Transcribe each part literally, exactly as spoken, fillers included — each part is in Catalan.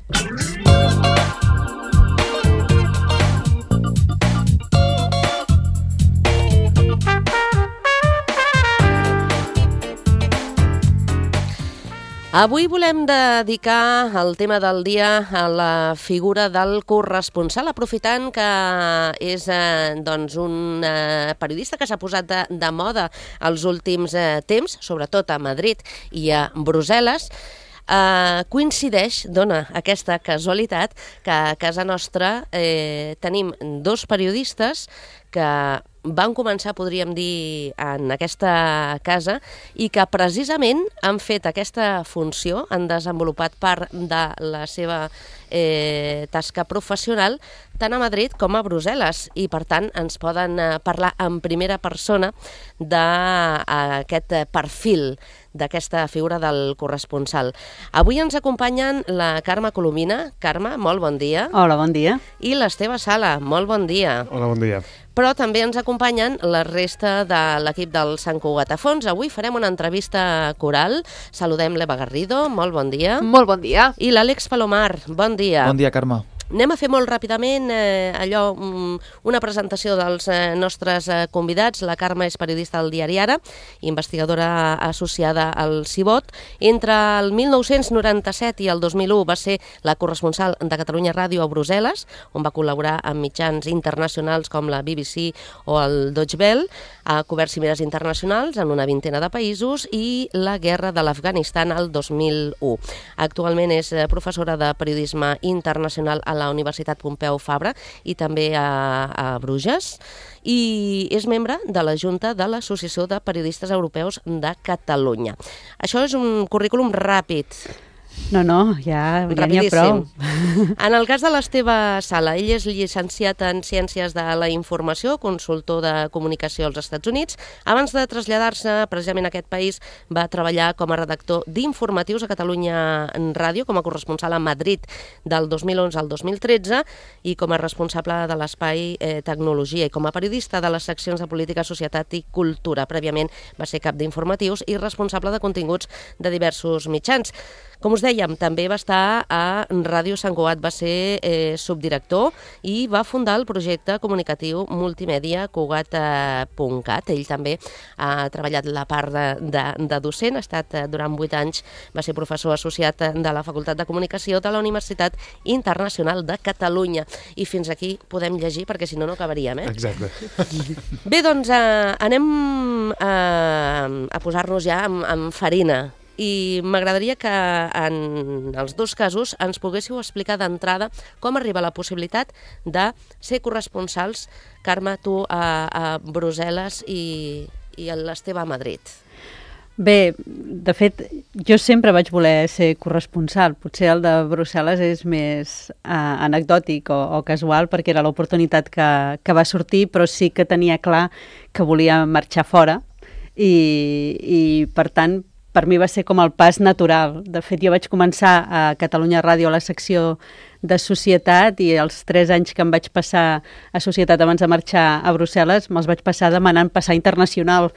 Avui volem dedicar el tema del dia a la figura del corresponsal, aprofitant que és eh, doncs un eh, periodista que s'ha posat de, de moda els últims eh, temps, sobretot a Madrid i a Brussel·les. Uh, coincideix, dona aquesta casualitat, que a casa nostra eh, tenim dos periodistes que van començar, podríem dir, en aquesta casa i que precisament han fet aquesta funció, han desenvolupat part de la seva eh, tasca professional tant a Madrid com a Brussel·les i per tant ens poden eh, parlar en primera persona d'aquest perfil d'aquesta figura del corresponsal. Avui ens acompanyen la Carme Colomina. Carme, molt bon dia. Hola, bon dia. I l'Esteve Sala, molt bon dia. Hola, bon dia. Però també ens acompanyen la resta de l'equip del Sant Cugat a Fons. Avui farem una entrevista coral. Saludem l'Eva Garrido, molt bon dia. Molt bon dia. I l'Àlex Palomar, bon dia. Bon dia, Carme. Anem a fer molt ràpidament eh, allò, una presentació dels eh, nostres eh, convidats. La Carme és periodista del diari Ara, investigadora associada al Cibot. Entre el mil nou-cents noranta-set i el dos mil u va ser la corresponsal de Catalunya Ràdio a Brussel·les, on va col·laborar amb mitjans internacionals com la B B C o el Deutsche Welle. Ha cobert cimeres internacionals en una vintena de països i la guerra de l'Afganistan el dos mil u. Actualment és professora de periodisme internacional a la Universitat Pompeu Fabra i també a, a Bruges, i és membre de la Junta de l'Associació de Periodistes Europeus de Catalunya. Això és un currículum ràpid. No, no, ja n'hi ha prou. En el cas de l'Esteve Sala, ell és llicenciat en Ciències de la Informació, consultor de comunicació als Estats Units. Abans de traslladar-se precisament a aquest país, va treballar com a redactor d'informatius a Catalunya Ràdio, com a corresponsal a Madrid del dos mil onze al dos mil tretze i com a responsable de l'espai eh, Tecnologia i com a periodista de les seccions de Política, Societat i Cultura. Prèviament va ser cap d'informatius i responsable de continguts de diversos mitjans. Com us dèiem, també va estar a Ràdio Sant Cugat, va ser eh, subdirector i va fundar el projecte comunicatiu multimèdia cugat punt cat. Ell també ha treballat la part de, de, de docent, ha estat eh, durant vuit anys, va ser professor associat de la Facultat de Comunicació de la Universitat Internacional de Catalunya. I fins aquí podem llegir, perquè si no, no acabaríem, eh? Exacte. Bé, doncs eh, anem eh, a posar-nos ja amb, amb farina. I m'agradaria que en els dos casos ens poguéssiu explicar d'entrada com arriba la possibilitat de ser corresponsals, Carme, tu a, a Brussel·les i, i l'Esteve a Madrid. Bé, de fet, jo sempre vaig voler ser corresponsal. Potser el de Brussel·les és més eh, anecdòtic o, o casual perquè era l'oportunitat que, que va sortir, però sí que tenia clar que volia marxar fora i, i per tant, per mi va ser com el pas natural. De fet, jo vaig començar a Catalunya Ràdio a la secció de Societat i els tres anys que em vaig passar a Societat abans de marxar a Brussel·les me'ls vaig passar demanant passar internacional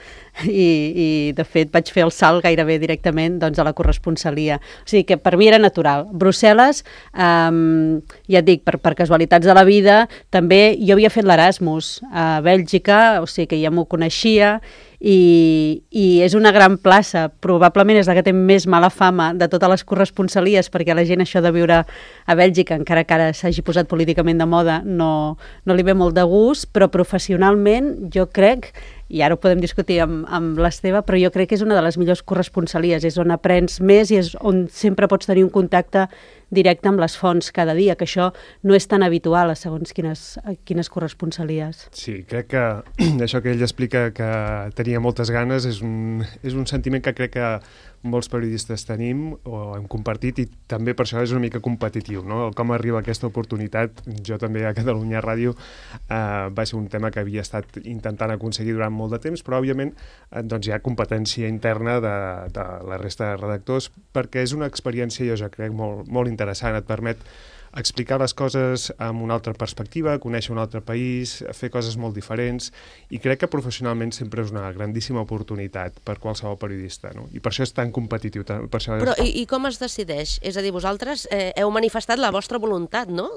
i, i de fet vaig fer el salt gairebé directament doncs, a la corresponsalia. O sigui que per mi era natural. Brussel·les, um, ja et dic, per, per casualitats de la vida, també jo havia fet l'Erasmus a Bèlgica, o sigui que ja m'ho coneixia, i, i és una gran plaça, probablement és la que té més mala fama de totes les corresponsalies, perquè la gent això de viure a Bèlgica, encara que ara s'hagi posat políticament de moda, no, no li ve molt de gust, però professionalment jo crec, i ara ho podem discutir amb, amb l'Esteve, però jo crec que és una de les millors corresponsalies, és on aprens més i és on sempre pots tenir un contacte directe amb les fonts cada dia, que això no és tan habitual a segons quines, a quines corresponsalies. Sí, crec que això que ell explica que tenia moltes ganes és un, és un sentiment que crec que molts periodistes tenim o hem compartit i també per això és una mica competitiu, no? Com arriba aquesta oportunitat, jo també a Catalunya Ràdio eh, va ser un tema que havia estat intentant aconseguir durant molt de temps, però òbviament eh, doncs hi ha competència interna de, de la resta de redactors perquè és una experiència, jo ja crec, molt, molt interessant, et permet explicar les coses amb una altra perspectiva, conèixer un altre país, fer coses molt diferents, i crec que professionalment sempre és una grandíssima oportunitat per qualsevol periodista, no? I per això és tan competitiu. Per això és... Però i, i com es decideix? És a dir, vosaltres eh, heu manifestat la vostra voluntat, no?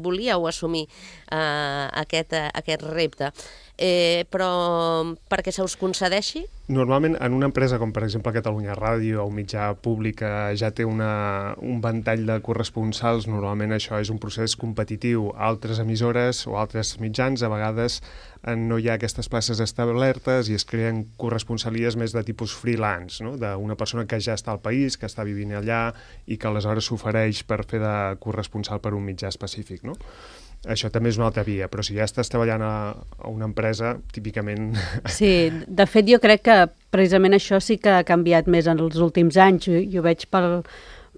Volíeu assumir eh, aquest, eh, aquest repte. Eh, però perquè se us concedeixi? Normalment, en una empresa com per exemple Catalunya Ràdio o un mitjà públic que ja té una, un ventall de corresponsals, normalment això és un procés competitiu. Altres emissores o altres mitjans a vegades no hi ha aquestes places establertes i es creen corresponsalies més de tipus freelance, no? D'una persona que ja està al país, que està vivint allà i que aleshores s'ofereix per fer de corresponsal per un mitjà específic, no? Això també és una altra via, però si ja estàs treballant a, a una empresa, típicament... Sí, de fet jo crec que precisament això sí que ha canviat més en els últims anys, jo, jo veig pel,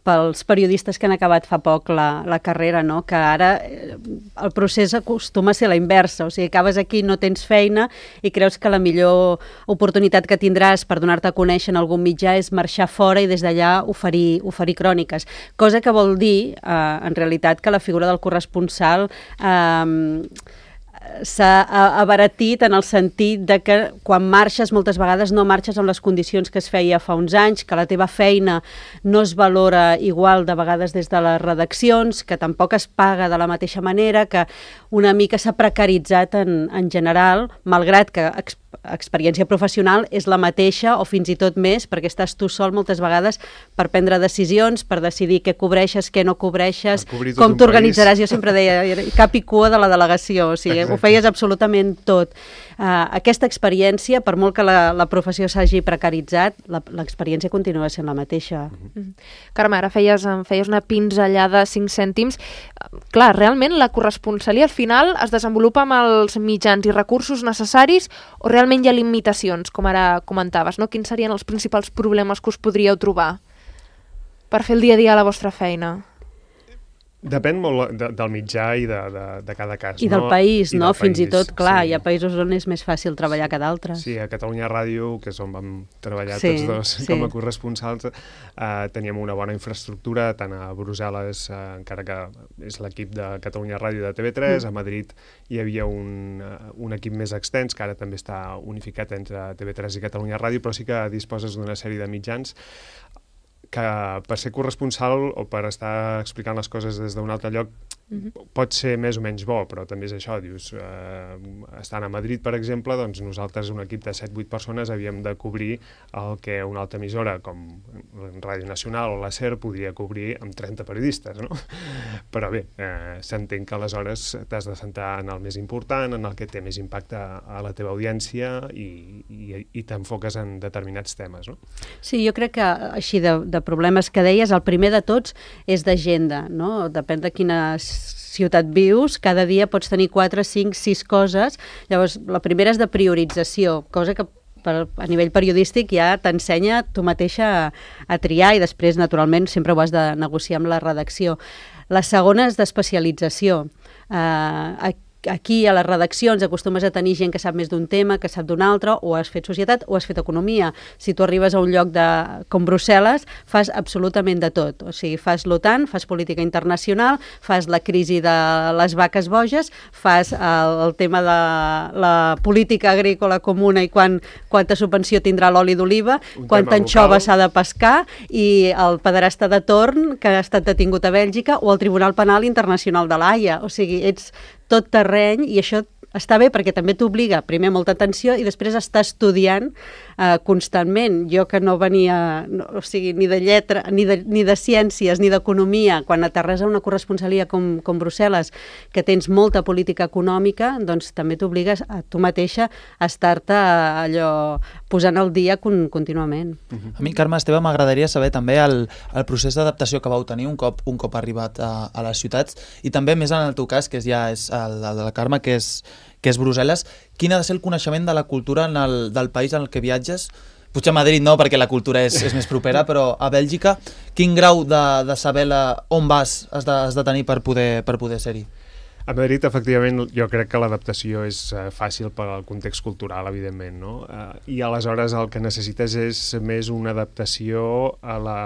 pels periodistes que han acabat fa poc la, la carrera, no? Que ara el procés acostuma a ser la inversa, o sigui, acabes aquí, no tens feina i creus que la millor oportunitat que tindràs per donar-te a conèixer en algun mitjà és marxar fora i des d'allà oferir, oferir cròniques, cosa que vol dir, eh, en realitat, que la figura del corresponsal eh, s'ha abaratit en el sentit de que quan marxes moltes vegades no marxes amb les condicions que es feia fa uns anys, que la teva feina no es valora igual de vegades des de les redaccions, que tampoc es paga de la mateixa manera, que una mica s'ha precaritzat en, en general, malgrat que ex, experiència professional és la mateixa o fins i tot més, perquè estàs tu sol moltes vegades per prendre decisions, per decidir què cobreixes, què no cobreixes, com t'organitzaràs. Jo sempre deia, cap i cua de la delegació, o sigui, exacte, ho feies absolutament tot. Uh, aquesta experiència, per molt que la, la professió s'hagi precaritzat, l'experiència continua sent la mateixa. Mm-hmm. Carme, ara feies, feies una pinzellada de cinc cèntims. Clar, realment la corresponsalia al final es desenvolupa amb els mitjans i recursos necessaris o realment hi ha limitacions, com ara comentaves, no? Quins serien els principals problemes que us podríeu trobar per fer el dia a dia a la vostra feina? Depèn molt de, del mitjà i de, de, de cada cas. I del no? país, I no? del Fins país, i tot, clar, sí. Hi ha països on és més fàcil treballar que d'altres. Sí, a Catalunya Ràdio, que és on vam treballar sí, tots dos sí. com a corresponsals, eh, teníem una bona infraestructura, tant a Brussel·les, eh, encara que és l'equip de Catalunya Ràdio de T V tres, mm. a Madrid hi havia un, un equip més extens, que ara també està unificat entre T V tres i Catalunya Ràdio, però sí que disposes d'una sèrie de mitjans que per ser corresponsal o per estar explicant les coses des d'un altre lloc mm-hmm. pot ser més o menys bo, però també és això, dius, eh, estant a Madrid, per exemple, doncs nosaltres, un equip de set vuit persones, havíem de cobrir el que una altra emissora, com Ràdio Nacional o la SER, podria cobrir amb trenta periodistes, no? Però bé, eh, s'entén que aleshores t'has de centrar en el més important, en el que té més impacte a la teva audiència i, i, i t'enfoques en determinats temes, no? Sí, jo crec que així de, de problemes que deies, el primer de tots és d'agenda, no? Depèn de quina ciutat vius, cada dia pots tenir quatre, cinc, sis coses. Llavors, la primera és de priorització, cosa que per, a nivell periodístic ja t'ensenya tu mateixa a, a triar i després, naturalment, sempre ho has de negociar amb la redacció. La segona és d'especialització. Uh, Aquí a les redaccions acostumes a tenir gent que sap més d'un tema, que sap d'un altre, o has fet societat o has fet economia. Si tu arribes a un lloc de, com Brussel·les, fas absolutament de tot. O sigui, fas l'OTAN, fas política internacional, fas la crisi de les vaques boges, fas el, el tema de la política agrícola comuna i quan, quanta subvenció tindrà l'oli d'oliva, quanta anxova s'ha de pescar, i el pederasta de torn que ha estat detingut a Bèlgica, o el Tribunal Penal Internacional de l'Haia. O sigui, ets tot terreny, i això està bé perquè també t'obliga, primer, molta atenció i després estar estudiant eh, constantment. Jo que no venia, no, o sigui, ni de lletra, ni de, ni de ciències, ni d'economia, quan aterres a una corresponsalia com, com Brussel·les, que tens molta política econòmica, doncs també t'obligues a tu mateixa a estar-te allò posant al dia con, contínuament. Uh-huh. A mi, Carme Esteve, m'agradaria saber també el, el procés d'adaptació que vau tenir un cop, un cop arribat a, a les ciutats, i també més en el teu cas, que és ja és el, el de la Carme, que és que és Brussel·les. Quin ha de ser el coneixement de la cultura en el, del país en el que viatges? Potser a Madrid no, perquè la cultura és, és més propera, però a Bèlgica, quin grau de, de saber la, on vas has de, has de tenir per poder, per poder ser-hi? A Madrid, efectivament, jo crec que l'adaptació és uh, fàcil per al context cultural, evidentment, no? Uh, I aleshores el que necessites és més una adaptació a la,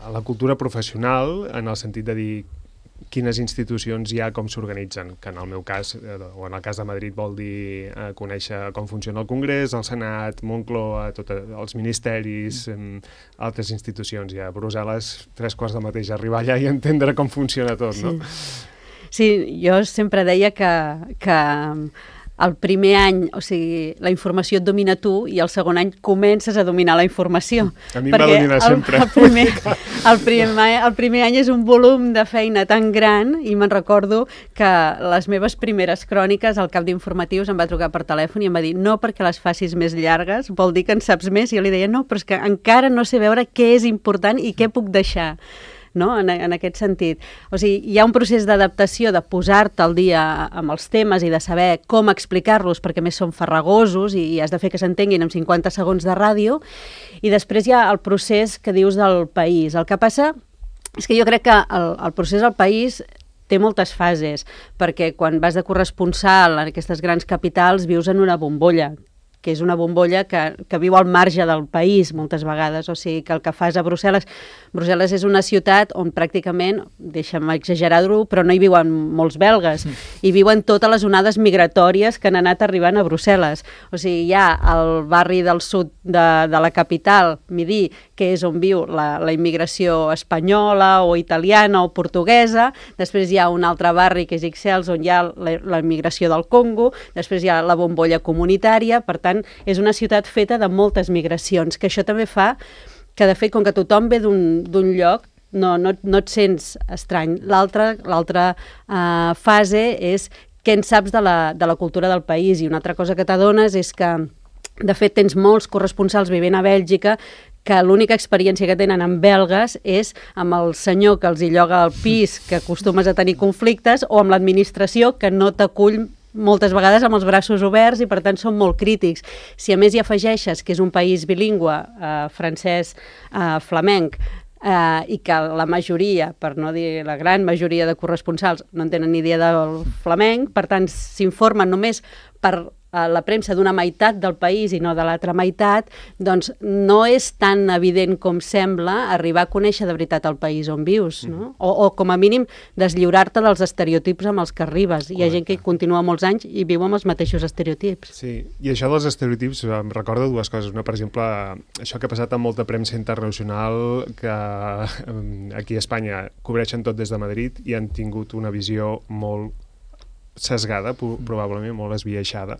a la cultura professional, en el sentit de dir quines institucions hi ha, com s'organitzen, que en el meu cas, eh, o en el cas de Madrid, vol dir eh, conèixer com funciona el Congrés, el Senat, Moncloa, tot, els ministeris, eh, altres institucions. I a Brussel·les, tres quarts de mateix, arribar allà i entendre com funciona tot, no? Sí, sí, jo sempre deia que, que el primer any, o sigui, la informació et domina tu i el segon any comences a dominar la informació. A mi em va dominar el, sempre. El primer, el, primer, el primer any és un volum de feina tan gran i me'n recordo que les meves primeres cròniques, el cap d'informatius em va trucar per telèfon i em va dir no perquè les facis més llargues, vol dir que en saps més? I jo li deia no, però és que encara no sé veure què és important i què puc deixar. No? En, en aquest sentit. O sigui, hi ha un procés d'adaptació, de posar-te al dia amb els temes i de saber com explicar-los, perquè més són farragosos i, i has de fer que s'entenguin en cinquanta segons de ràdio, i després hi ha el procés que dius del país. El que passa és que jo crec que el, el procés del país té moltes fases, perquè quan vas de corresponsal en aquestes grans capitals vius en una bombolla, que és una bombolla que, que viu al marge del país moltes vegades, o sigui que el que fas a Brussel·les, Brussel·les és una ciutat on pràcticament, deixa'm exagerar-ho, però no hi viuen molts belgues, hi viuen totes les onades migratòries que han anat arribant a Brussel·les. O sigui, hi ha el barri del sud de, de la capital, Midi, que és on viu la, la immigració espanyola o italiana o portuguesa, després hi ha un altre barri que és Ixelles, on hi ha la, la immigració del Congo, després hi ha la bombolla comunitària, per tant, és una ciutat feta de moltes migracions, que això també fa que, de fet, com que tothom ve d'un lloc, no, no, no et sents estrany. L'altra l'altra uh, fase és què en saps de la, de la cultura del país, i una altra cosa que t'adones és que, de fet, tens molts corresponsals vivint a Bèlgica que l'única experiència que tenen amb belgues és amb el senyor que els hi lloga el pis, que acostumes a tenir conflictes, o amb l'administració que no t'acull moltes vegades amb els braços oberts i per tant són molt crítics. Si a més hi afegeixes que és un país bilingüe, eh, francès, eh, flamenc, eh, i que la majoria, per no dir la gran majoria de corresponsals, no en tenen ni idea del flamenc, per tant s'informen només per la premsa d'una meitat del país i no de l'altra meitat, doncs no és tan evident com sembla arribar a conèixer de veritat el país on vius, no? O, o com a mínim deslliurar-te dels estereotips amb els que arribes. Hi ha gent que hi continua molts anys i viu amb els mateixos estereotips. Sí, i això dels estereotips em recorda dues coses. Una, per exemple, això que ha passat amb molta premsa internacional, que aquí a Espanya cobreixen tot des de Madrid i han tingut una visió molt sesgada, probablement molt esbiaixada,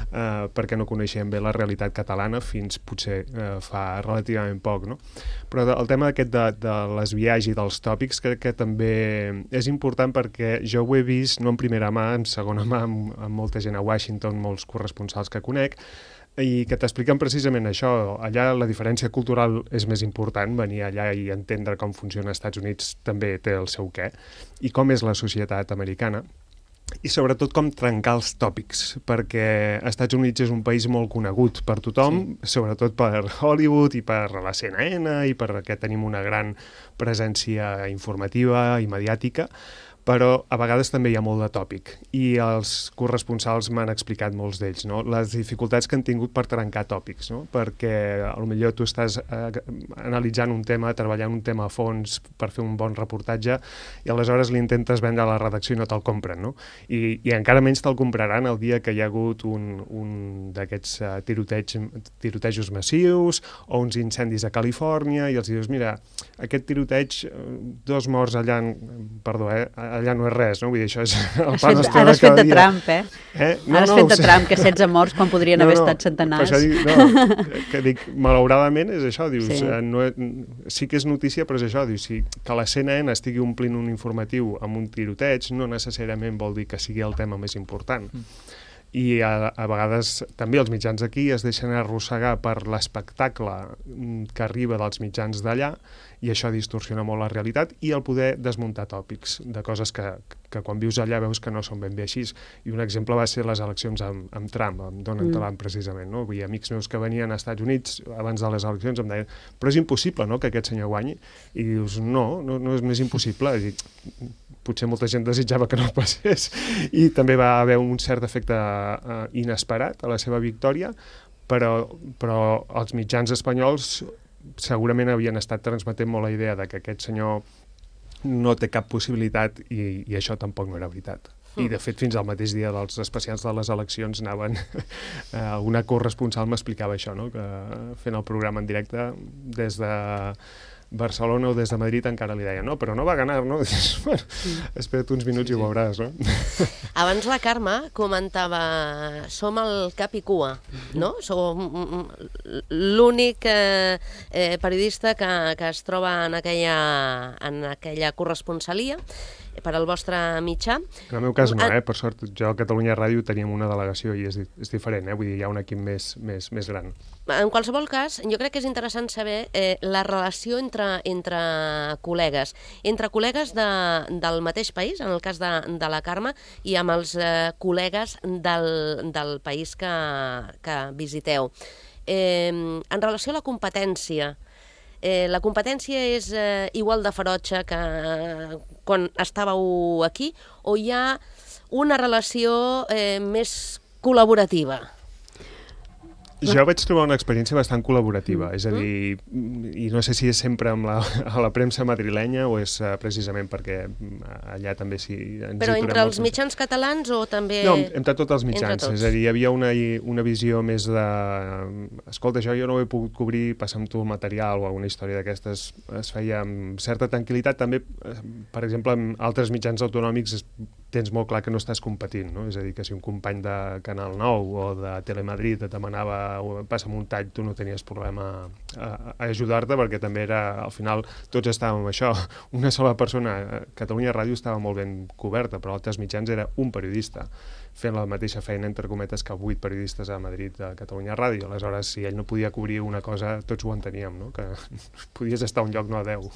eh, perquè no coneixem bé la realitat catalana fins potser eh, fa relativament poc, no? Però el tema aquest de, de l'esbiaix i dels tòpics crec que també és important, perquè jo ho he vist no en primera mà, en segona mà, amb, amb molta gent a Washington, molts corresponsals que conec, i que t'expliquen precisament això. Allà la diferència cultural és més important, venir allà i entendre com funciona als Estats Units també té el seu què, i com és la societat americana, i sobretot com trencar els tòpics, perquè als Estats Units és un país molt conegut per tothom, sí. Sobretot per Hollywood i per la C N N i perquè tenim una gran presència informativa i mediàtica, però a vegades també hi ha molt de tòpic, i els corresponsals m'han explicat molts d'ells, no? Les dificultats que han tingut per trencar tòpics, no? Perquè potser tu estàs eh, analitzant un tema, treballant un tema a fons per fer un bon reportatge, i aleshores li intentes vendre a la redacció i no te'l compren, no? I, i encara menys te'l compraran el dia que hi ha hagut un, un d'aquests uh, tiroteig, tirotejos massius o uns incendis a Califòrnia, i els dius, mira, aquest tiroteig, dos morts allà, perdó, eh, allà no és res, no? Vull dir, això és el pa nostre ara has fet de dia. Trump, eh? eh? No, ara has no, fet de sé. Trump, que setze morts quan podrien no, haver no, estat centenars. Per això dic, no, que dic, malauradament és això, dius, Sí. eh, no, sí que és notícia, però és això, dius, si que la C N N estigui omplint un informatiu amb un tiroteig, no necessàriament vol dir que sigui el tema més important. Mm. I a, a vegades també els mitjans aquí es deixen arrossegar per l'espectacle que arriba dels mitjans d'allà, i això distorsiona molt la realitat, i el poder desmuntar tòpics de coses que, que quan vius allà veus que no són ben bé així. I un exemple va ser les eleccions amb, amb Trump, amb Donald mm. Trump precisament, no? Vull dir, amics meus que venien als Estats Units abans de les eleccions em deien, però és impossible, no?, que aquest senyor guanyi, i dius, no, no, no és més impossible. És dir, potser molta gent desitjava que no passés, i també va haver un cert efecte uh, inesperat a la seva victòria, però, però els mitjans espanyols segurament havien estat transmetent molt la idea de que aquest senyor no té cap possibilitat i, i això tampoc no era veritat. I, de fet, fins al mateix dia dels especials de les eleccions anaven... eh, una corresponsal m'explicava això, no? Que fent el programa en directe des de Barcelona o des de Madrid encara li deia, no, però no va ganar, no? Dius, bueno, espera't uns minuts sí, sí. i ho veuràs, no? Abans la Carme comentava, som el cap i cua, no? Som l'únic eh, eh, periodista que, que es troba en aquella, en aquella corresponsalia per al vostre mitjà. En el meu cas no, eh? Per sort, jo a Catalunya Ràdio teníem una delegació i és, és diferent, eh? Vull dir, hi ha un equip més, més, més gran. En qualsevol cas, jo crec que és interessant saber eh, la relació entre, entre col·legues, entre col·legues de, del mateix país, en el cas de, de la Carme, i amb els eh, col·legues del, del país que, que visiteu. Eh, en relació a la competència, Eh, la competència és eh, igual de ferotge que eh, quan estàveu aquí o hi ha una relació eh, més col·laborativa? Jo vaig trobar una experiència bastant col·laborativa, és a dir, i no sé si és sempre amb la, a la premsa madrilenya o és uh, precisament perquè allà també s'hi... Però entre els mitjans catalans o també... No, entre tots els mitjans, tots. És a dir, hi havia una, una visió més de... Escolta, això jo no ho he pogut cobrir, passa'm tu el material o alguna història d'aquestes, es feia amb certa tranquil·litat. També, per exemple, amb altres mitjans autonòmics tens molt clar que no estàs competint, no? És a dir, que si un company de Canal nou o de Telemadrid et demanava passa'm un tall, tu no tenies problema a, a ajudar-te, perquè també era, al final, tots estàvem amb això. Una sola persona, Catalunya Ràdio estava molt ben coberta, però altres mitjans era un periodista, fent la mateixa feina, entre cometes, que vuit periodistes a Madrid de Catalunya Ràdio. Aleshores, si ell no podia cobrir una cosa, tots ho enteníem, no? Que podies estar a un lloc, no a deu.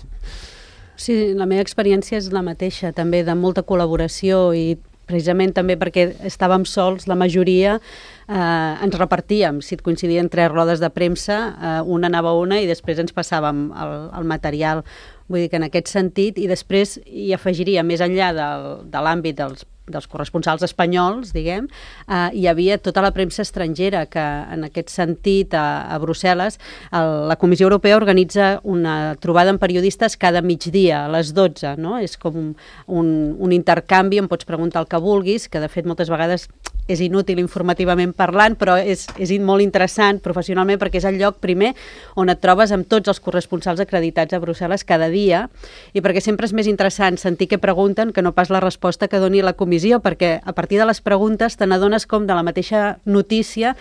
Sí, la meva experiència és la mateixa, també de molta col·laboració i precisament també perquè estàvem sols, la majoria eh, ens repartíem. Si et coincidien tres rodes de premsa, eh, una anava a una i després ens passàvem el, el material. Vull dir que en aquest sentit, i després hi afegiria, més enllà del, de l'àmbit dels dels corresponsals espanyols, diguem, eh, hi havia tota la premsa estrangera, que en aquest sentit a, a Brussel·les el, la Comissió Europea organitza una trobada amb periodistes cada migdia, a les dotze, no? És com un, un, un intercanvi, em pots preguntar el que vulguis, que de fet moltes vegades és inútil informativament parlant, però és, és molt interessant professionalment perquè és el lloc primer on et trobes amb tots els corresponsals acreditats a Brussel·les cada dia i perquè sempre és més interessant sentir què pregunten que no pas la resposta que doni la comissió, perquè a partir de les preguntes te n'adones com de la mateixa notícia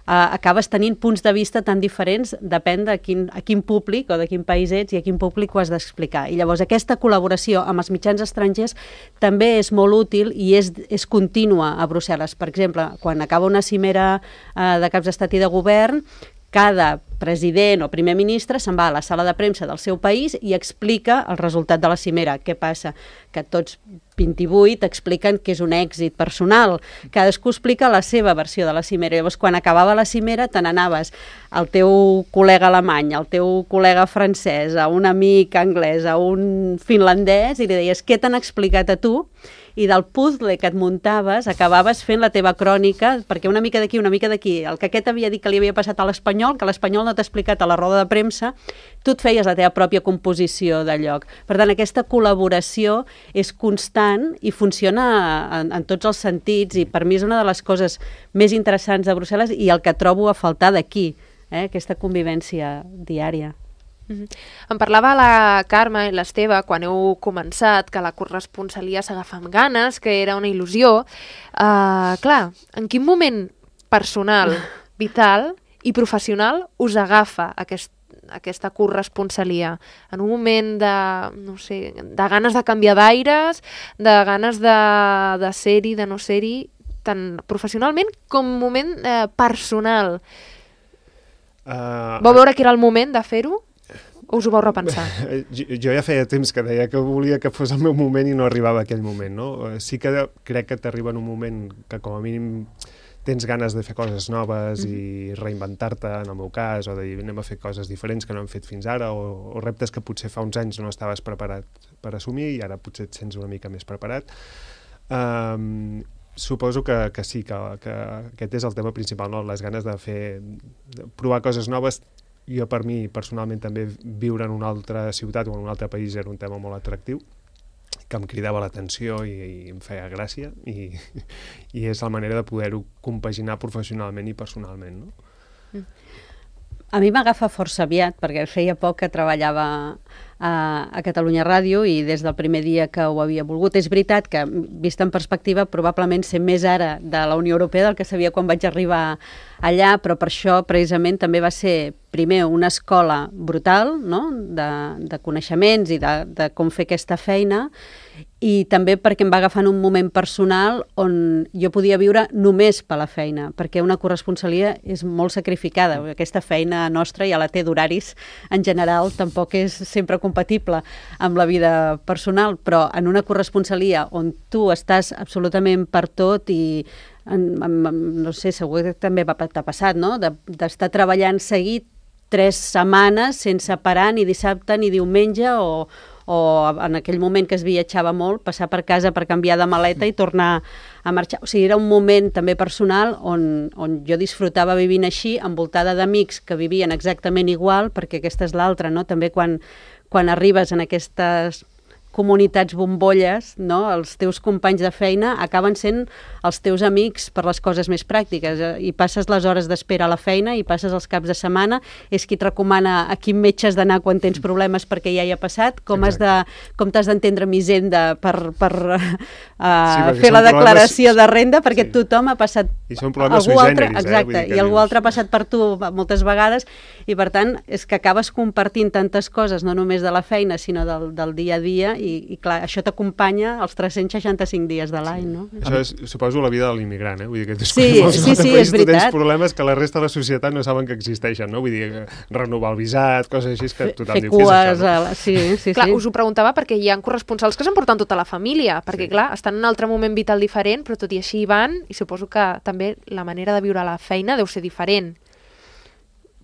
Uh, acabes tenint punts de vista tan diferents, depèn de quin, a quin públic o de quin país ets i a quin públic ho has d'explicar. I llavors aquesta col·laboració amb els mitjans estrangers també és molt útil i és, és contínua a Brussel·les. Per exemple, quan acaba una cimera uh, de caps d'estat i de govern, cada president o primer ministre se'n va a la sala de premsa del seu país i explica el resultat de la cimera. Què passa? Que tots vint-i-vuit expliquen que és un èxit personal. Cadascú explica la seva versió de la cimera. Llavors, quan acabava la cimera, te n'anaves al teu col·lega alemany, al teu col·lega francès, a un amic anglès, a un finlandès, i li deies què t'han explicat a tu, i del puzzle que et muntaves acabaves fent la teva crònica, perquè una mica d'aquí, una mica d'aquí, el que aquest havia dit que li havia passat a l'espanyol, que l'espanyol no t'ha explicat a la roda de premsa, tu et feies la teva pròpia composició de lloc. Per tant, aquesta col·laboració és constant i funciona en, en tots els sentits, i per mi és una de les coses més interessants de Brussel·les i el que trobo a faltar d'aquí, eh? Aquesta convivència diària. Mm-hmm. Em parlava la Carme i l'Esteve quan heu començat que la corresponsalia s'agafa amb ganes, que era una il·lusió. Uh, clar, en quin moment personal, vital i professional us agafa aquest, aquesta corresponsalia? En un moment de, no sé, de ganes de canviar d'aires, de ganes de, de ser-hi, de no ser-hi, tant professionalment com moment eh, personal. Uh, Vau veure que era el moment de fer-ho? O us ho vau repensar? Jo, jo ja feia temps que deia que volia que fos el meu moment i no arribava aquell moment, no? Sí que crec que t'arriba en un moment que com a mínim tens ganes de fer coses noves mm. i reinventar-te, en el meu cas, o de dir anem a fer coses diferents que no hem fet fins ara, o, o reptes que potser fa uns anys no estaves preparat per assumir i ara potser et sents una mica més preparat. Um, suposo que, que sí, que, que aquest és el tema principal, no? Les ganes de fer, de provar coses noves. Jo, per mi, personalment, també viure en una altra ciutat o en un altre país era un tema molt atractiu. que em cridava l'atenció i, i em feia gràcia i, i és la manera de poder-ho compaginar professionalment i personalment, no? Mm. A mi m'agafa força aviat, perquè feia poc que treballava a, a Catalunya Ràdio i des del primer dia que ho havia volgut. És veritat que, vist en perspectiva, probablement sé més ara de la Unió Europea del que sabia quan vaig arribar allà, però per això precisament també va ser, primer, una escola brutal, no?, de, de coneixements i de, de com fer aquesta feina, i també perquè em va agafar en un moment personal on jo podia viure només per la feina, perquè una corresponsalia és molt sacrificada. Aquesta feina nostra ja la té d'horaris, en general tampoc és sempre compatible amb la vida personal, però en una corresponsalia on tu estàs absolutament per tot i en, en, no sé, segur que també t'ha passat, no?, d'estar de, treballant seguit tres setmanes sense parar ni dissabte ni diumenge o, o en aquell moment que es viatjava molt, passar per casa per canviar de maleta i tornar a marxar. O sigui, era un moment també personal on, on jo disfrutava vivint així, envoltada d'amics que vivien exactament igual, perquè aquesta és l'altra, no? També quan, quan arribes en aquestes comunitats bombolles, no? Els teus companys de feina acaben sent els teus amics per les coses més pràctiques, i passes les hores d'espera a la feina i passes els caps de setmana, és qui et recomana a quin metge has d'anar quan tens problemes perquè ja hi ha passat, com has de, com t'has d'entendre amb Hisenda per, per uh, sí, fer la declaració problemes... de renda, perquè sí. Tothom ha passat i són problemes algú sui altre, generis, exacte, eh? i algú altre ha passat per tu moltes vegades, i per tant és que acabes compartint tantes coses, no només de la feina sinó del, del dia a dia, i, i clar, això t'acompanya els tres-cents seixanta-cinc dies de l'any, sí. No? Això és, suposo, la vida de l'immigrant, eh? Vull dir que tu, sí, sí, sí, és veritat. Tu tens problemes que la resta de la societat no saben que existeixen, no? Vull dir, renovar el visat, coses així que tothom Fer diu, què és això? No? La... Sí, sí, clar, sí. Us ho preguntava perquè hi ha corresponsals que s'emporten tota la família, perquè sí. Clar, estan en un altre moment vital diferent, però tot i així hi van, i suposo que també la manera de viure la feina deu ser diferent.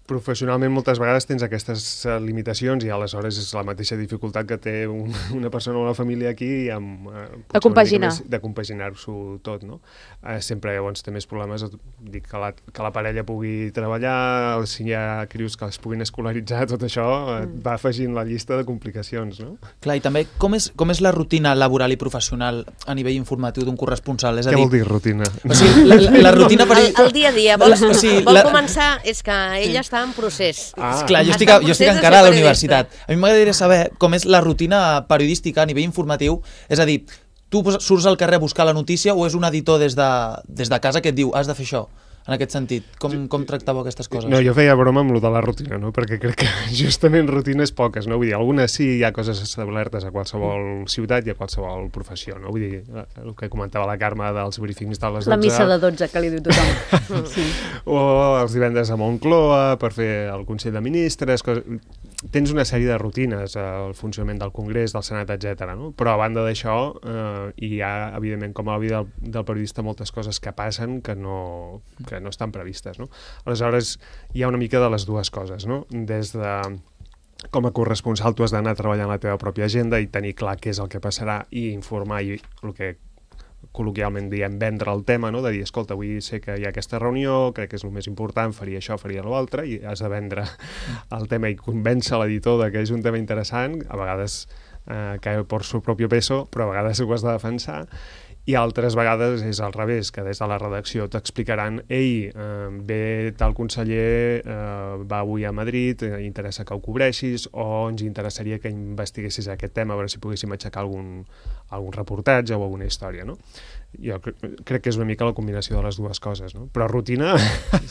Professionalment moltes vegades tens aquestes limitacions i aleshores és la mateixa dificultat que té un, una persona o una família aquí i amb, eh, de compaginar més, de compaginar-s'ho tot, no? Eh, sempre llavors té més problemes, dic que la, que la parella pugui treballar, si hi ha crios que es puguin escolaritzar, tot això eh, mm. va afegint la llista de complicacions, no? Clar, i també com és, com és la rutina laboral i professional a nivell informatiu d'un corresponsal? És a Què dir, vol dir rutina? O sigui, la, la, la rutina per... El, el dia a dia, vol, o sigui, vol la... començar, és que ella està en procés. Ah. Clar, jo estic, jo estic encara a la universitat. A mi m'agradaria saber com és la rutina periodística a nivell informatiu, és a dir, tu surts al carrer a buscar la notícia o és un editor des de, des de casa que et diu has de fer això? En aquest sentit, com, com tractàveu aquestes coses? No, jo feia broma amb lo de la rutina, no? Perquè crec que justament rutines poques, no? Vull dir, algunes sí hi ha coses establertes a qualsevol ciutat i a qualsevol professió, no? Vull dir, el que comentava la Carme dels briefings de les dotze... La missa de dotze que li diu tothom. Sí. O els divendres a Moncloa per fer el Consell de Ministres, coses... Tens una sèrie de rutines, el funcionament del Congrés, del Senat, etcètera, no? Però a banda d'això, eh, hi ha, evidentment, com a la vida del, del periodista, moltes coses que passen que no, que no estan previstes, no? Aleshores, hi ha una mica de les dues coses, no? Des de... Com a corresponsal tu has d'anar treballant la teva pròpia agenda i tenir clar què és el que passarà i informar i el que col·loquialment diem vendre el tema, no? De dir, escolta, avui sé que hi ha aquesta reunió, crec que és el més important, faria això, faria l'altre, i has de vendre el tema i convèncer l'editor de que és un tema interessant, a vegades eh, que per su propi peso, però a vegades ho has de defensar, i altres vegades és al revés, que des de la redacció t'explicaran ei, eh, ve tal conseller, eh, va avui a Madrid, eh, interessa que ho cobreixis, o ens interessaria que investiguessis aquest tema, a veure si poguéssim aixecar algun, algun reportatge o alguna història, no? Jo cre crec que és una mica la combinació de les dues coses, no? Però rutina...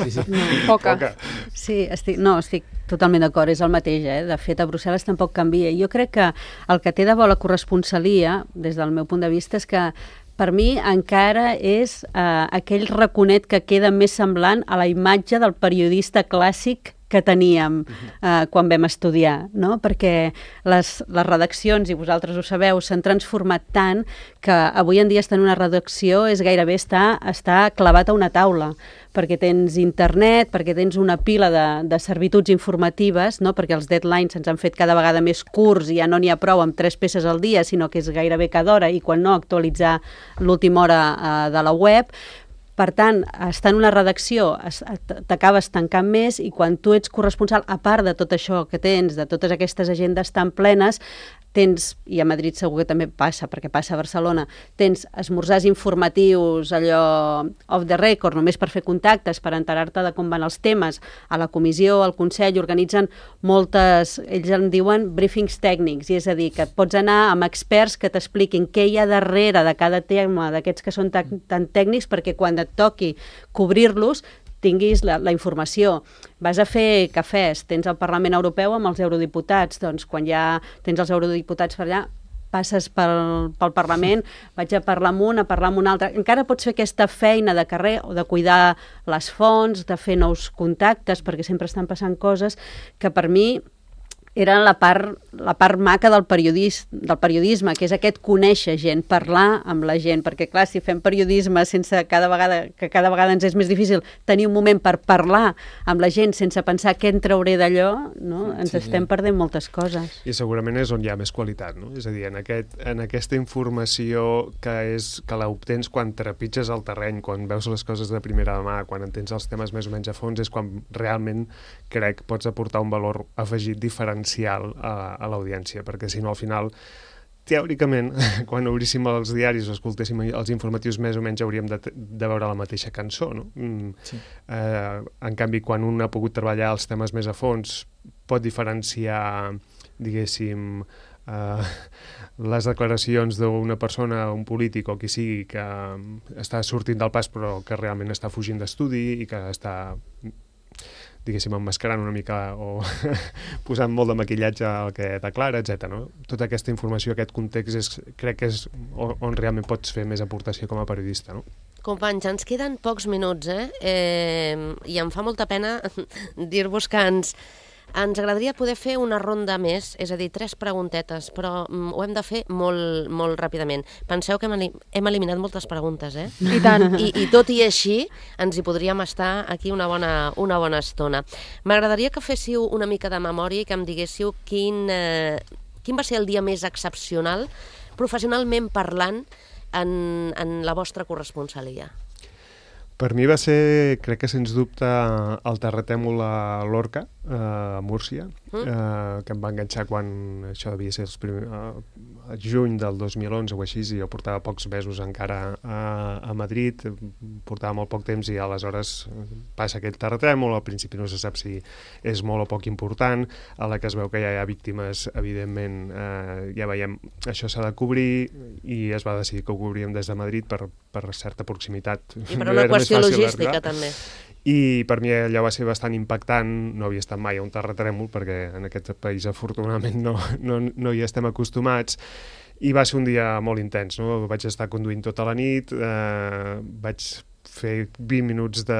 Sí, sí. No. Poca. Poca. Sí, estic, no, estic totalment d'acord, és el mateix, eh? De fet, a Brussel·les tampoc canvia. Jo crec que el que té de bo la corresponsalia, des del meu punt de vista, és que per mi encara és eh, aquell raconet que queda més semblant a la imatge del periodista clàssic que teníem eh, quan vam estudiar, no? Perquè les, les redaccions, i vosaltres ho sabeu, s'han transformat tant que avui en dia estar en una redacció és gairebé estar, estar clavat a una taula, perquè tens internet, perquè tens una pila de, de servituds informatives, no? Perquè els deadlines ens han fet cada vegada més curts i ja no n'hi ha prou amb tres peces al dia, sinó que és gairebé cada hora, i quan no, actualitzar l'última hora eh, de la web. Per tant, estar en una redacció t'acabes tancant més, i quan tu ets corresponsal, a part de tot això que tens, de totes aquestes agendes tan plenes, tens, i a Madrid segur que també passa, perquè passa a Barcelona, tens esmorzars informatius, allò off the record, només per fer contactes, per enterar-te de com van els temes, a la comissió, al Consell, organitzen moltes, ells en diuen briefings tècnics, i és a dir, que pots anar amb experts que t'expliquin què hi ha darrere de cada tema, d'aquests que són tan, tan tècnics, perquè quan et toqui cobrir-los, tinguis la, la informació. Vas a fer cafès, tens el Parlament Europeu amb els eurodiputats, doncs quan ja tens els eurodiputats per allà, passes pel, pel Parlament, vaig a parlar amb un, a parlar amb un altre. Encara pots fer aquesta feina de carrer o de cuidar les fonts, de fer nous contactes, perquè sempre estan passant coses que per mi era la part, la part maca del, periodis, del periodisme, que és aquest conèixer gent, parlar amb la gent, perquè clar, si fem periodisme sense cada vegada, que cada vegada ens és més difícil tenir un moment per parlar amb la gent sense pensar què en trauré d'allò, no? Ens sí, estem sí. perdent moltes coses. I segurament és on hi ha més qualitat, no? És a dir, en, aquest, en aquesta informació que, és, que l'obtens quan trepitges el terreny, quan veus les coses de primera mà, quan entens els temes més o menys a fons, és quan realment crec pots aportar un valor afegit diferent a, a l'audiència, perquè si no al final teòricament, quan obríssim els diaris o escoltéssim els informatius més o menys hauríem de, de veure la mateixa cançó, no? Mm, sí. eh, en canvi, quan un ha pogut treballar els temes més a fons, pot diferenciar, diguéssim, eh, les declaracions d'una persona, un polític o qui sigui, que està sortint del pas però que realment està fugint d'estudi i que està diguéssim, emmascarant una mica o posant molt de maquillatge al que declara, etcètera. No? Tota aquesta informació, aquest context, és, crec que és on, on realment pots fer més aportació com a periodista. No? Companys, ens queden pocs minuts, eh? eh i em fa molta pena dir-vos que ens, ens agradaria poder fer una ronda més, és a dir, tres preguntetes, però mm, ho hem de fer molt, molt ràpidament. Penseu que hem, hem eliminat moltes preguntes, eh? I tant. I, I tot i així, ens hi podríem estar aquí una bona, una bona estona. M'agradaria que féssiu una mica de memòria i que em diguéssiu quin, eh, quin va ser el dia més excepcional, professionalment parlant, en, en la vostra corresponsalia. Per mi va ser, crec que sens dubte, el terratrèmol a Lorca, a Múrcia, mm. eh, que em va enganxar quan això devia ser el primer, eh, juny del dos mil onze o així, i jo portava pocs mesos encara a, a Madrid, portava molt poc temps i aleshores passa aquell terratrèmol, al principi no se sap si és molt o poc important, a la que es veu que ja hi ha víctimes, evidentment, eh, ja veiem, això s'ha de cobrir i es va decidir que ho cobríem des de Madrid per, per certa proximitat. I per una qüestió logística, també. I per mi allò va ser bastant impactant, no havia estat mai a un terratrèmol, perquè en aquest país afortunadament no, no, no hi estem acostumats, i va ser un dia molt intens, no? Vaig estar conduint tota la nit, eh, vaig fer vint minuts de,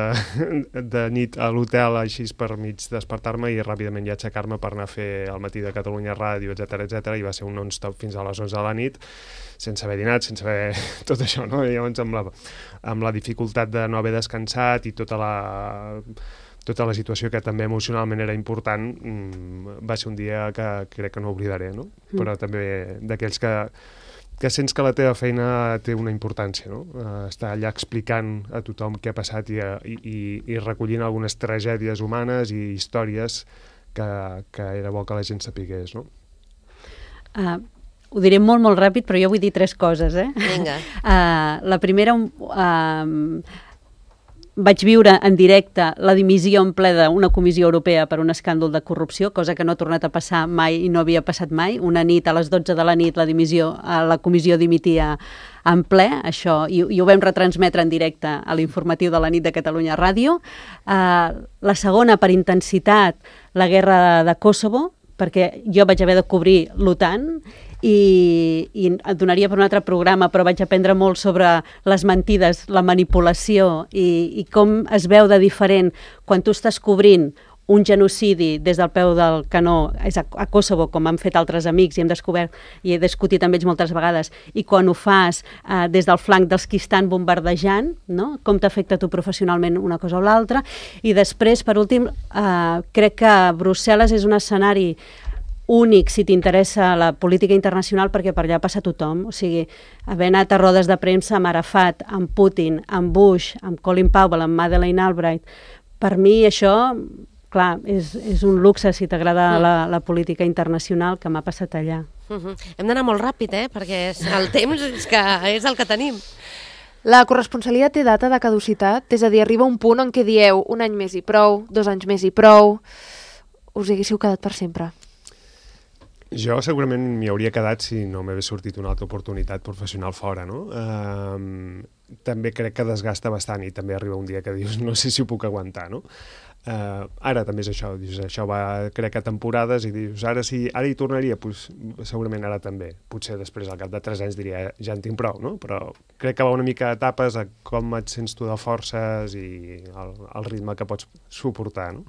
de nit a l'hotel així per mig despertar-me i ràpidament ja aixecar-me per anar a fer el matí de Catalunya Ràdio, etcètera, etcètera, i va ser un non-stop fins a les onze de la nit, sense haver dinat, sense haver tot això, no? I llavors amb la, amb la dificultat de no haver descansat i tota la, tota la situació que també emocionalment era important, va ser un dia que crec que no oblidaré, no? Mm. Però també d'aquells que que sents que la teva feina té una importància, no? Uh, estar allà explicant a tothom què ha passat i, i, i recollint algunes tragèdies humanes i històries que, que era bo que la gent sapigués, no? Uh, ho diré molt, molt ràpid, però jo vull dir tres coses, eh? Vinga. Uh, la primera... Uh, vaig viure en directe la dimissió en ple d'una comissió europea per un escàndol de corrupció, cosa que no ha tornat a passar mai i no havia passat mai. Una nit, a les dotze de la nit, la dimissió, la comissió dimitia en ple, això, i, i ho vam retransmetre en directe a l'informatiu de la nit de Catalunya Ràdio. Uh, la segona, per intensitat, la guerra de Kosovo, perquè jo vaig haver de cobrir l'OTAN, i, i et donaria per un altre programa, però vaig aprendre molt sobre les mentides, la manipulació i, i com es veu de diferent quan tu estàs cobrint un genocidi des del peu del canó és a, a Kosovo, com han fet altres amics i hem descobert i he discutit amb ells moltes vegades, i quan ho fas eh, des del flanc dels qui estan bombardejant, no? Com t'afecta tu professionalment una cosa o l'altra. I després, per últim, eh, crec que Brussel·les és un escenari únic si t'interessa la política internacional, perquè per allà passa tothom. O sigui, haver anat a rodes de premsa amb Arafat, amb Putin, amb Bush, amb Colin Powell, amb Madeleine Albright, per mi això, clar, és, és un luxe si t'agrada la, la política internacional que m'ha passat allà. Uh -huh. Hem d'anar molt ràpid, eh? Perquè és, el temps és, que és el que tenim. La corresponsalia té data de caducitat? És a dir, arriba un punt en què dieu un any més i prou, dos anys més i prou, us hi haguéssiu quedat per sempre? Jo segurament m'hi hauria quedat si no m'hagués sortit una altra oportunitat professional fora, no? Um, també crec que desgasta bastant i també arriba un dia que dius no sé si ho puc aguantar, no? Uh, ara també és això, dius, això va crec que temporades i dius ara si ara hi tornaria, pues, segurament ara també. Potser després al cap de tres anys diria ja en tinc prou, no? Però crec que va una mica a etapes a com et sents tu de forces i el, el ritme que pots suportar, no?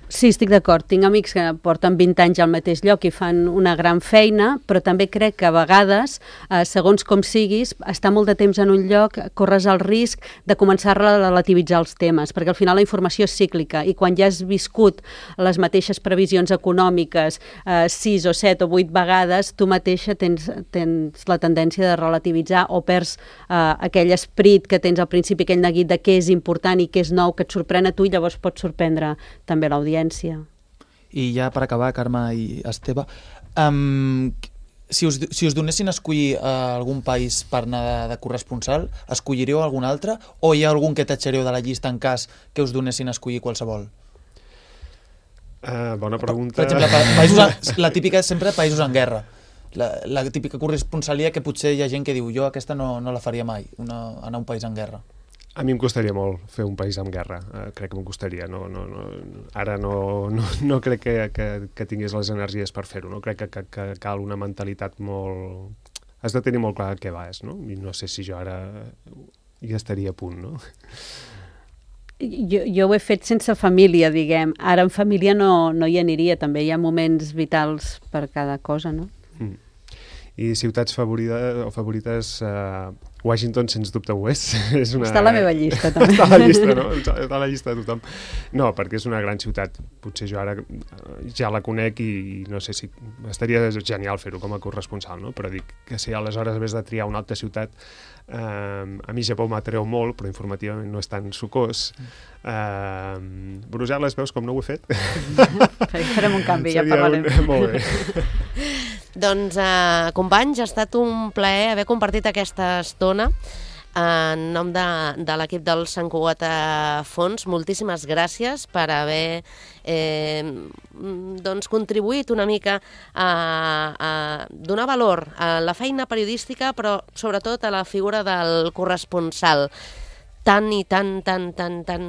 Sí, estic d'acord. Tinc amics que porten vint anys al mateix lloc i fan una gran feina, però també crec que a vegades, eh, segons com siguis, estar molt de temps en un lloc, corres el risc de començar a relativitzar els temes, perquè al final la informació és cíclica i quan ja has viscut les mateixes previsions econòmiques eh, sis o set o vuit vegades, tu mateixa tens, tens la tendència de relativitzar o perds eh, aquell esperit que tens al principi, aquell neguit de què és important i què és nou, que et sorprèn a tu i llavors pot sorprendre també l'audiència. I ja per acabar, Carme i Esteve, um, si, us, si us donessin a escollir uh, algun país per anar de, de corresponsal, escolliríeu algun altre o hi ha algun que tatxareu de la llista en cas que us donessin a escollir qualsevol? Uh, bona pregunta. Per, per exemple, països en, la típica és sempre països en guerra. La, la típica corresponsalia que potser hi ha gent que diu jo aquesta no, no la faria mai, una, anar a un país en guerra. A mi em costaria molt fer un país amb guerra, uh, crec que m'ho costaria. No, no, no, ara no, no, no crec que, que, que tingués les energies per fer-ho, no? Crec que, que, que cal una mentalitat molt... Has de tenir molt clar què vas, no? I no sé si jo ara hi estaria a punt, no? Jo, jo ho he fet sense família, diguem. Ara en família no, no hi aniria, també hi ha moments vitals per cada cosa, no? Mm. I ciutats favorites, o favorites, uh, Washington sens dubte ho és. és una... Està a la meva llista, també. Està a la llista, no? Està a la llista de tothom. No, perquè és una gran ciutat. Potser jo ara ja la conec i, i no sé si... Estaria genial fer-ho com a corresponsal, no? Però dic que si aleshores hagués de triar una altra ciutat, eh, a mi Japó m'atreu molt, però informativament no és tan sucós. Eh, Brussel·les, veus com no ho he fet? Farem un canvi, ja parlarem. Un... Molt bé. Doncs, eh, companys, ha estat un plaer haver compartit aquesta estona en nom de, de l'equip del Sant Cugat Fons. Moltíssimes gràcies per haver eh, doncs, contribuït una mica a, a donar valor a la feina periodística, però sobretot a la figura del corresponsal. Tan i tan, tan, tan, tan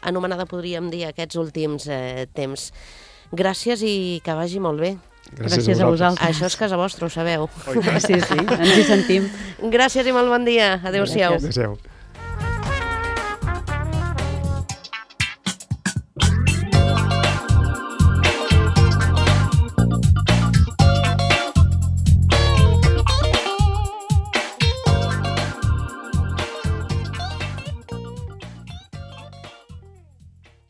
anomenada, podríem dir, aquests últims eh, temps. Gràcies i que vagi molt bé. Gràcies, Gràcies a, a vosaltres. Això és casa vostra, ho sabeu. Sí, sí, ens hi sentim. Gràcies i molt bon dia. Adéu-siau. Adéu-siau.